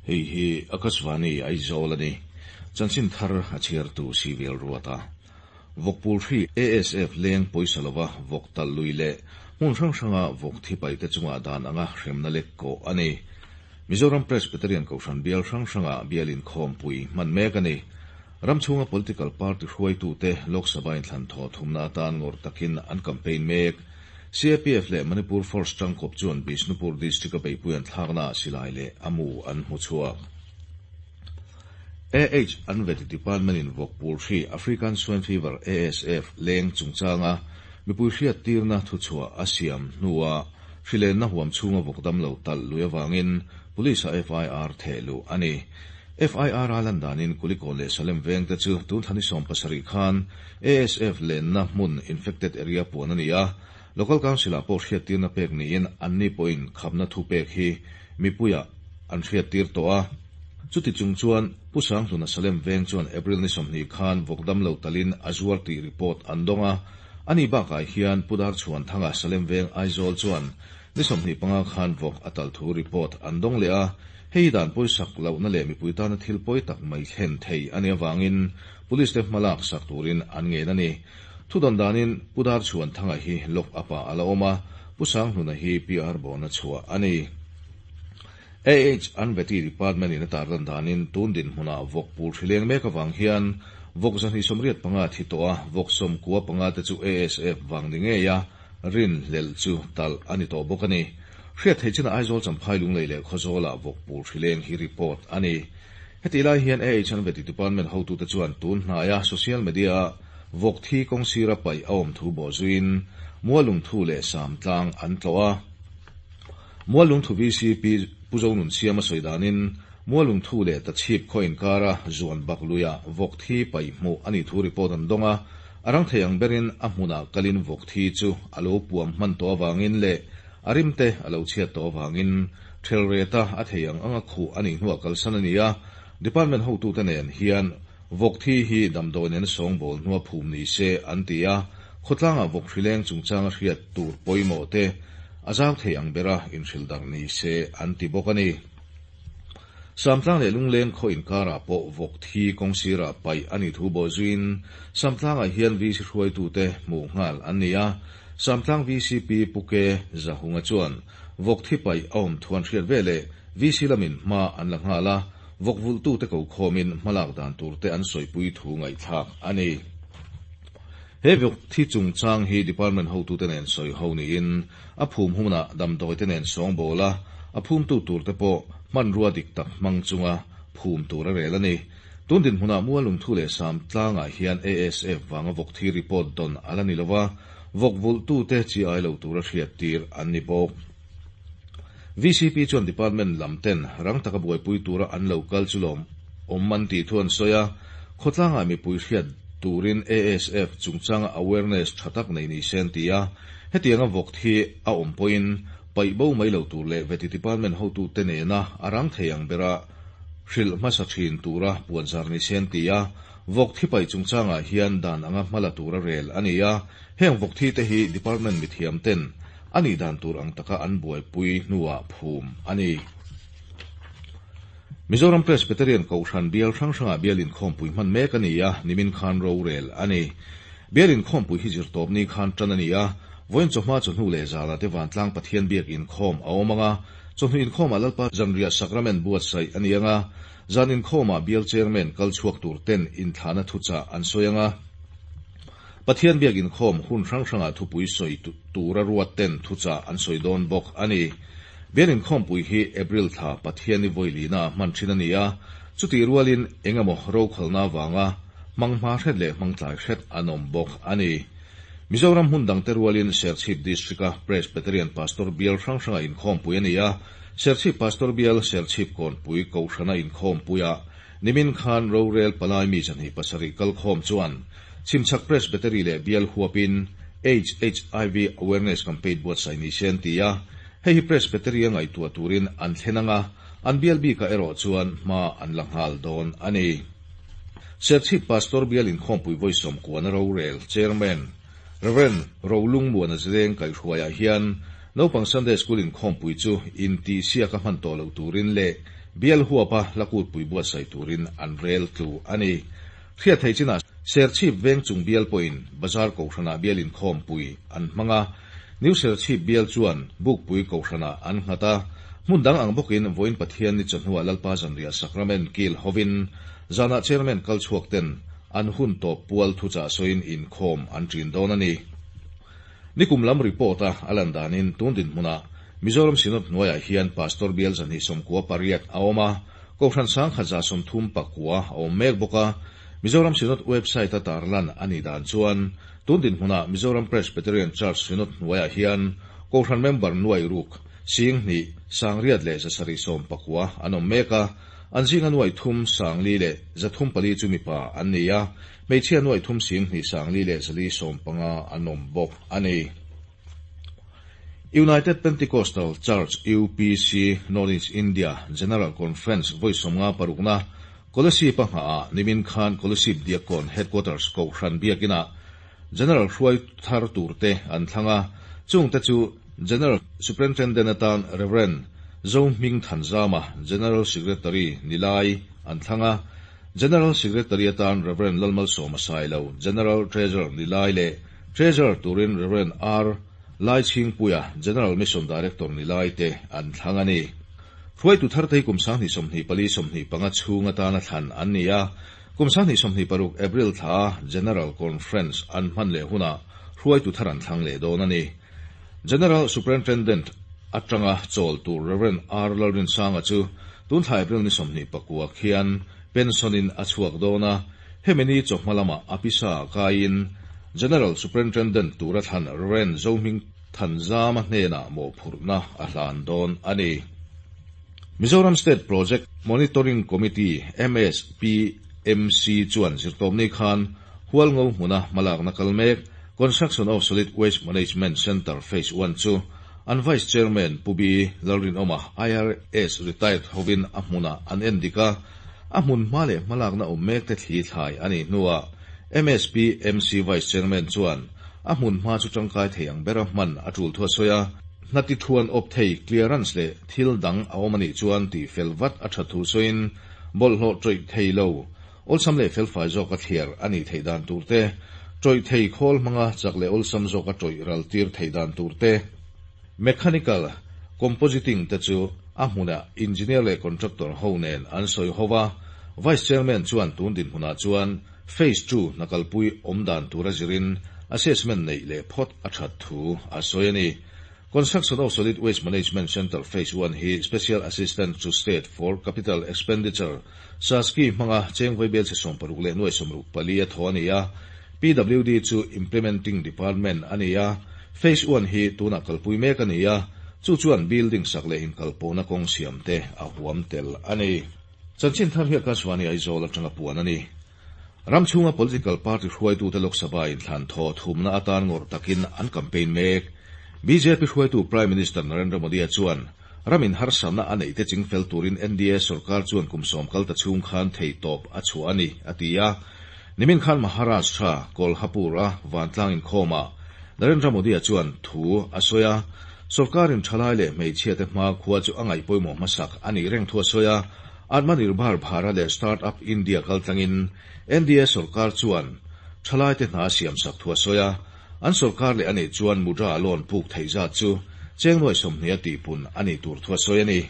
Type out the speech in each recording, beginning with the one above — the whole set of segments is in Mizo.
Hei hi Akashvani Aizawl a ni. Chanchin thar a chhiartu Civil Ruata. Vawkpul hri ASF leng pawisa lova vawk talh lui leh hmun hrang hranga vawk thi paite chungah dan anga hremna lek kawh a ni. Mizoram Presbyterian Kohhran bial hrang hrangah bial inkhawmpui hman mek a ni. Ram chhunga political party hruaitute Lok Sabha inthlan thaw thumna atan ngawrh takin an campaign mek. CAPF leh Manipur Force tangkawp chuan Bishnupur District-a beihpui an thlaknaah silai leh a mu an hmu chhuak. AH an veti department-in vawkpul hri African Swine Fever, ASF, leng chungchanga mipui hriattirna thuchhuah a siam hnua hrilenna huam chhunga vawk damlo talh lui avangin Police-a FIR theh luh a ni. FIR a lan danin Kulikawn leh Salem vengte chu tun thla ni 70 khan ASF lenna hmun infected area puan a ni a, Local Council-ah pawh hriattirna pek niin anni pawhin khapna thu pek hi mipuiah an hriattir tawh a. Chuti chung chuan Pu Sanghluna Salem veng chuan April ni 20 khan vawk damlo talin a zuar tih report an dawng a. Ani bakah hian Pu Darchhuanthanga Salem veng Aizawl chuan ni 25 khan vawk a tal thu report an dawng leh a. Hei dan pawisak lohna leh mipui tana thil pawi tak mai thlen thei a nih avangin Police te hmalak sak turin an ngen a ni. Thudawn danin Pu Darchhuanthanga hi lock up-ah a la awm a, Pu Sanghluna hi PR bona chhuah a ni. AH an Vety Department in a tarlan danin tun dinhmunah vawk pul hri leng mek avang hian vawk 285 thi tawh a, vawk 95 te chu ASF vang ni ngei a, rin hlelh chu talh a ni tawh bawk a ni. Hriat theih chinah Aizawl Champhai Lunglei leh Khawzawlah vawk pul hri leng hi report a ni. Hetih lai hian AH an Vety Department hotute chuan tun hnaia social media-a vawk thi kawng sira paih a awm thu bawhzuiin Mualungthu leh Samtlang an tlawh a. Mualungthu VCP Pu Zonunsiama sawi danin Mualungthu leh Tachhip khaw inkara zuan bak luia vawk thi paih hmuh a nih thu report an dawng a, a rang thei ang berin a hmunah kalin vawk thi chu a lo puam hman tawh avangin leh a rimte a lo chhiat tawh avangin thelreta a thei ang anga khuh a nih hnuah kalsan a ni a, Department hotute nen hian vawk thi hi damdawi nen sawngbawl hnua phum ni se an ti a, khawtlangah vawk hrileng chungchanga hriat tur pawimawh te a zau thei ang bera inhrilh darh ni se an ti bawk a ni. Samtlang leh Lungleng khaw inkarah pawh vawk thi kawng sirah paih a nih thu bawhzuiin Samtlangah hian VC hruaitute hmuh nghal an ni a, Samtlang VCP Pu Ke Zahunga chuan vawk thi paih a awm thu an hriat veleh VC lamin hma an la nghal a, vawk vulhtute ko khawmin hmalak dan turte an sawipui thu ngaihthlak a ni. He vawk thi chungchang hi Department hotute nen sawi ho niin a phum hunah damdawite nen sawngbawl a, a phumtu turte pawh hmanrua dik tak hmang chunga phum tur a rel a ni. Tun dinhmunah Mualungthu leh Samtlangah hian ASF vanga vawk thi report dawn a la ni lo va, vawk vulhtute chi ai lo tura hriattir an ni bawk. VCP chuan Department lam ten rang taka buaipui tura an lo kal chu lawm awm an tih thu an sawi a, khawtlangah mipui hriat turin ASF chungchanga awareness tha tak nei ni se an ti a, hetianga vawk thi a awm pawhin paih bo mai lo tur leh Vety Department hotute nena a rang thei ang bera hrilh hmasa thin tura puanzar ni se an ti a, vawk thi paih chungchangah hian dan anga hmala tura rel a ni a, heng vawk thi te hi Department mithiam ten a nih dan tur ang taka an buaipui hnuah phum a ni. Mizoram Presbyterian Kohhran bial hrang hrangah bial inkhawmpui hman mek a ni a, nimin khan rorel a ni. Bial inkhawmpui hi zirtawpni khan tan a ni a, vawiin chawhma chawhnu leh zana te vantlang Pathian biak inkhawm a awm ang a, chawhnu inkhawmah Lalpa zanriah sakramen buatsaih a ni ang a, zan inkhawmah bial chairman kal chhuak tur ten inthlahna thuchah an sawi ang a, Pathian biak inkhawm hun hrang hrangah thupui sawi tura ruat ten thuchah an sawi dawn bawk a ni. Bial inkhawmpui hi April thla Pathianni vawilina a hman thin a ni a, chutih rualin eng emaw rokhalna avanga hmang hma hret leh hmang tlai hret an awm bawk a ni. Mizoram hmun dangte rualin Serchhip District-a Presbyterian Pastor bial hrang hranga inkhawmpui a ni a, Serchhip Pastor bial Serchhip Kawnpui Kohhrana inkhawmpuiah nimin khan rorel palai mi 27 kalkhawm chuan Chhimchhak Presbytery leh bial huapin AIDS HIV Awareness Campaign buatsaih ni se an ti a, hei hi Presbytery a ngaihtuah turin an thlen ang a, an bial bikah erawh chuan hma an la nghal dawn a ni. Serchhip Pastor bial inkhawmpui vawi sawmkuana rorel Chairman Rev. Rolungmuana Zileng kaihhruaiah hian naupang Sunday School inkhawmpui chu intihsiak a hman tawh loh turin leh Bial huapa Hla Kutpui buatsaih turin an rel tlu a ni. Hriat theih chinah Serchhip Vengchung bial pawhin Bazar Kohhranah bial inkhawmpui an hmang a, New Serchhip bial chuan Bukpui Kohhranah an nghat a. Hmun dang ang bawkin vawiin Pathianni chawhnuah Lalpa Zanriah Sakramen kil hovin zanah Chairman kal chhuak ten an hun tawp pual thuchah sawiin inkhawm an ṭin dawn a ni. Nikum lam report a a lan danin tun dinhmunah Mizoram Synod hnuaiah hian Pastor bial 298 a awm a, Kohhran 1139 a awm mek bawk a. Mizoram Synod website a tarlan a nih dan chuan tun dinhmunah Mizoram Presbyterian Church Synod hnuaiah hian Kohhran member nuai ruk, 2000, 6719 an awm mek a, an zinga nuai thum 400 leh 304 chu mipa an ni a, hmeichhia nuai thum 10,000 5 leh 415 an awm bawk a ni. United Pentecostal Church, UPC, North East India General Conference vawi 56na Kolasib a nghahah nimin khan Kolasib Diakkawn Headquarters Kohhran Biakinah General hruai thar turte an thlang a, chungte chu General Superintendent atan Rev. Zohming Thanzama, General Secretary ni lai an thlang a, General Secretary atan Rev. Lalmalsawma Sailo, General Treasurer ni lai leh Treasurer turin Rev. R. Laichhingpuia, General Mission Director ni lai te an thlang a ni. Hruaitu tharte hi kum 2024 25 chhung atana thlan an ni a, kum 2026 April thla General Conference an hman leh hunah hruaitu thar an thlang leh dawn a ni. General Superintendent atanga chawl tur Rev. R. Lalrinsanga chu tun thla April ni 29 khian pension-in a chhuak dawn a, hemi ni chawhma lamah a pisa kaiin General Superintendent tura thlan Rev. Zohming Thanzama hnenah mawhphurhna a hlan dawn a ni. Mizoram State Project Monitoring Committee, MSPMC, chuan zirtawpni khan Hualngo hmuna hmalakna kal mek Construction of Solid Waste Management Centre Phase I chu an Vice Chairman Pu B. Lalrinawma, IRS Retired hovin a hmunah an en dik a, a hmun hma leh hmalakna awm mek te thli thlai a nih hnuah MSPMC Vice Chairman chuan a hmun hma chu tangkai thei ang bera hman a tul thu a sawi a, hna ti thuan awp thei clearance leh thil dang a awm a nih chuan tih fel vat a tha thu sawiin bawlhhlawh tawih thei lo awlsam leh felfai zawka thliar a nih theih dan tur te, tawih thei khawl hmanga chak leh awlsam zawka tawih ral tir theih dan tur te, mechanical compositing te chu a hmunah engineer leh contractor ho nen an sawi ho va, Vice Chairman chuan tun dinhmunah chuan Phase ii hna kalpui awm dan tura zirin assessment neih leh phawt a that thu a sawi a ni. Construction of Solid Waste Management Centre Phase I hi Special Assistant to State for Capital Expenditure, SASCI, hmanga cheng vaibel chhe 60 leh nuai 64 a thaw a ni a, PWD chu Implementing Department a ni a, Phase I hi tunah kalpui mek a ni a, chu chuan building sak leh inkalpawhna kawng siam te a huam tel a ni. Chanchin thar hi Akashvani Aizawl atanga puan a ni. Ram chhunga political party hruaitute Lok Sabha inthlan thaw thumna atan ngawrh takin an campaign mek. Bjp hruaitu Prime Minister Narendra Modi-a chuan ramin harsatna a neihte chingfel turin NDA sorkar chuan kum sawm kal ta chhung khan theihtawp a chhuah a ni, a ti a. Nimin khan Maharashtra, Kolhapur-a vantlang inkhawmah Narendra Modi-a chuan thu a sawi a. Sorkarin thalai leh hmeichhiate hma khua chu a ngaih pawimawh hmasak a nih reng thu a sawi a. Atmanirbhar Bharat leh Start Up India kaltlangin NDA sorkar chuan thalaite hna a siamsak thu a sawi a. An sorkar leh a nih chuan Mudra loan puk theih zat chu cheng nuai 20 a tihpun a nih tur thu a sawi a ni.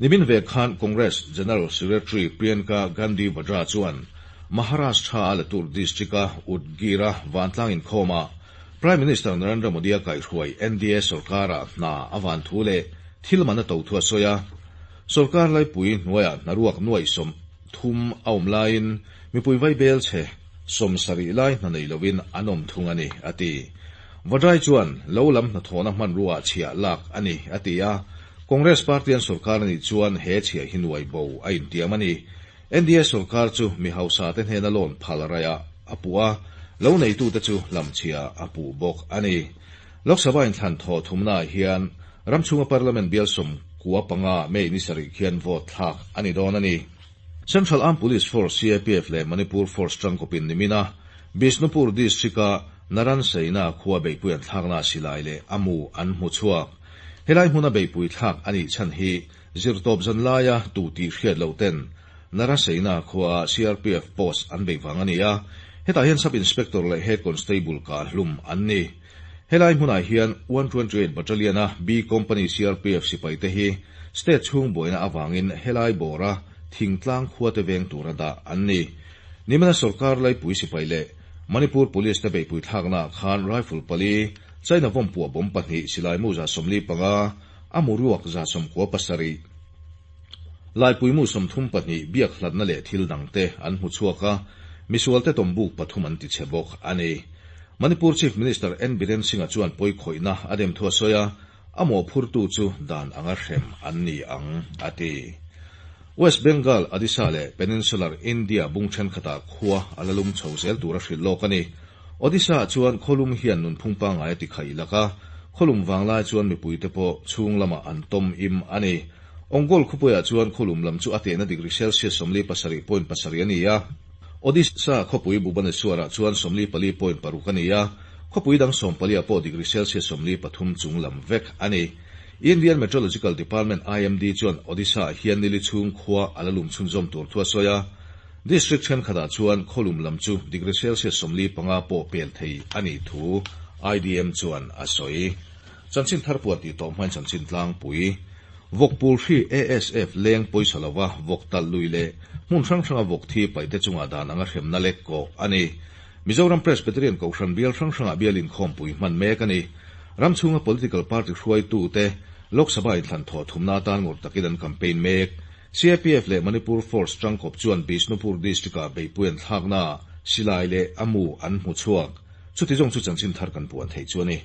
Nimin ve khan Congress General Secretary Priyanka Gandhi Vadra chuan Maharashtra-a Latur district-a Udgir-a vantlang inkhawmah Prime Minister Narendra Modi-a kaihhruai NDA sorkara hna a van thu leh thil man a to thu a sawi a. Sorkar laipui hnuaiah hnaruak nuai 30 a awm laiin mipui vaibel chhe 70 lai hna nei lovin an awm thung a ni, a ti. Vadra chuan lo lam hnathawhna hmanrua chhiah lak a ni, a ti a. Congress party an sorkar a nih chuan he chhiah hi nuai bo a intiam a ni. NDA sorkar chu mi hausa te hnena loan phal raiah a puh a, lo neitute chu hlamchhia a puh bawk a ni. Lok Sabha inthlan thaw thumnaah hian ram chhunga Parliament bial 95 May ni sarih khian vote thlak a ni dawn a ni. Central Armed Police Force, CAPF, leh Manipur Force tangkawpin nimina Bishnupur District-a Naranseina khua beihpui an thlakna silai leh a mu an hmu chhuak. Helai hmuna beihpui thlak a nih chhan hi Zirtawp zan laia tu tih hriat loh ten Naraseina khuaa CRPF post an beih vang a ni a, hetah hian Sub Inspector leh Head Constable kah hlum an ni. Helai hmunah hian 128 Battalion-a B Company CRPF sipaite hi state chhung buaina avangin helai bawra thingtlang khuate veng tura dah an ni. Nimina sorkar laipui sipai leh Manipur Police te beihpui thlaknaah khan rifle pali, China vawm puah bomb pahnih, silai mu 45, a mu ruak 97, laipui mu 32 biak hlatna leh thil dangte an hmu chhuak a, misualte tawmbuk pathum an tichhe bawk a ni. Manipur Chief Minister N Biren Singh-a chuan pawikhawihna a dem thu a sawi a, a mawhphurtu chu dan anga hrem an ni ang, a ti. West Bengal, Odisha leh Peninsular India bung thenkhatah khua a la lum chho zel tur a hrilh lawk a ni. Odisha-ah chuan khawlum hian nunphung pangngai a ti khaih lak a, khawlum vanglai chuan mipuite pawh chhung lamah an tawm im a ni. Ongole khawpuiah chuan khawlum lam chu a tehna degree Celsius 47.7 a ni a, Odisha khawpui Bhubaneswar-ah chuan 44.6 a ni a, khawpui dang sawmpaliah pawh degree Celsius 43 chung lam vek a ni. Indian Meteorological Department, IMD, chuan Odisha-ah hian nili chhung khua a la lum chhunzawm tur thu a sawi a, District thenkhatah chuan khawlum lam chu degree Celsius 45 pawh pel thei a nih thu IDM chuan a sawi. Chanchin thar puan tih tawh hmain chanchin tlangpui, Vawkpul hri ASF leng pawisa lova vawk talh lui leh hmun hrang hranga vawk thi paihte chungah dan anga hremna lek kawh a ni. Mizoram Presbyterian Kohhran bial hrang hrangah bial inkhawmpui hman mek a ni. Ram chhunga political party hruaitute Lok Sabha inthlan thawh thumna atan ngawrh takin an campaign mek. CAPF leh Manipur Force tangkawp chuan Bishnupur District-ah beihpui an thlaknaah silai leh a mu an hmu chhuak. Chuti zawng chu chanchin thar kan puan theih chu a ni.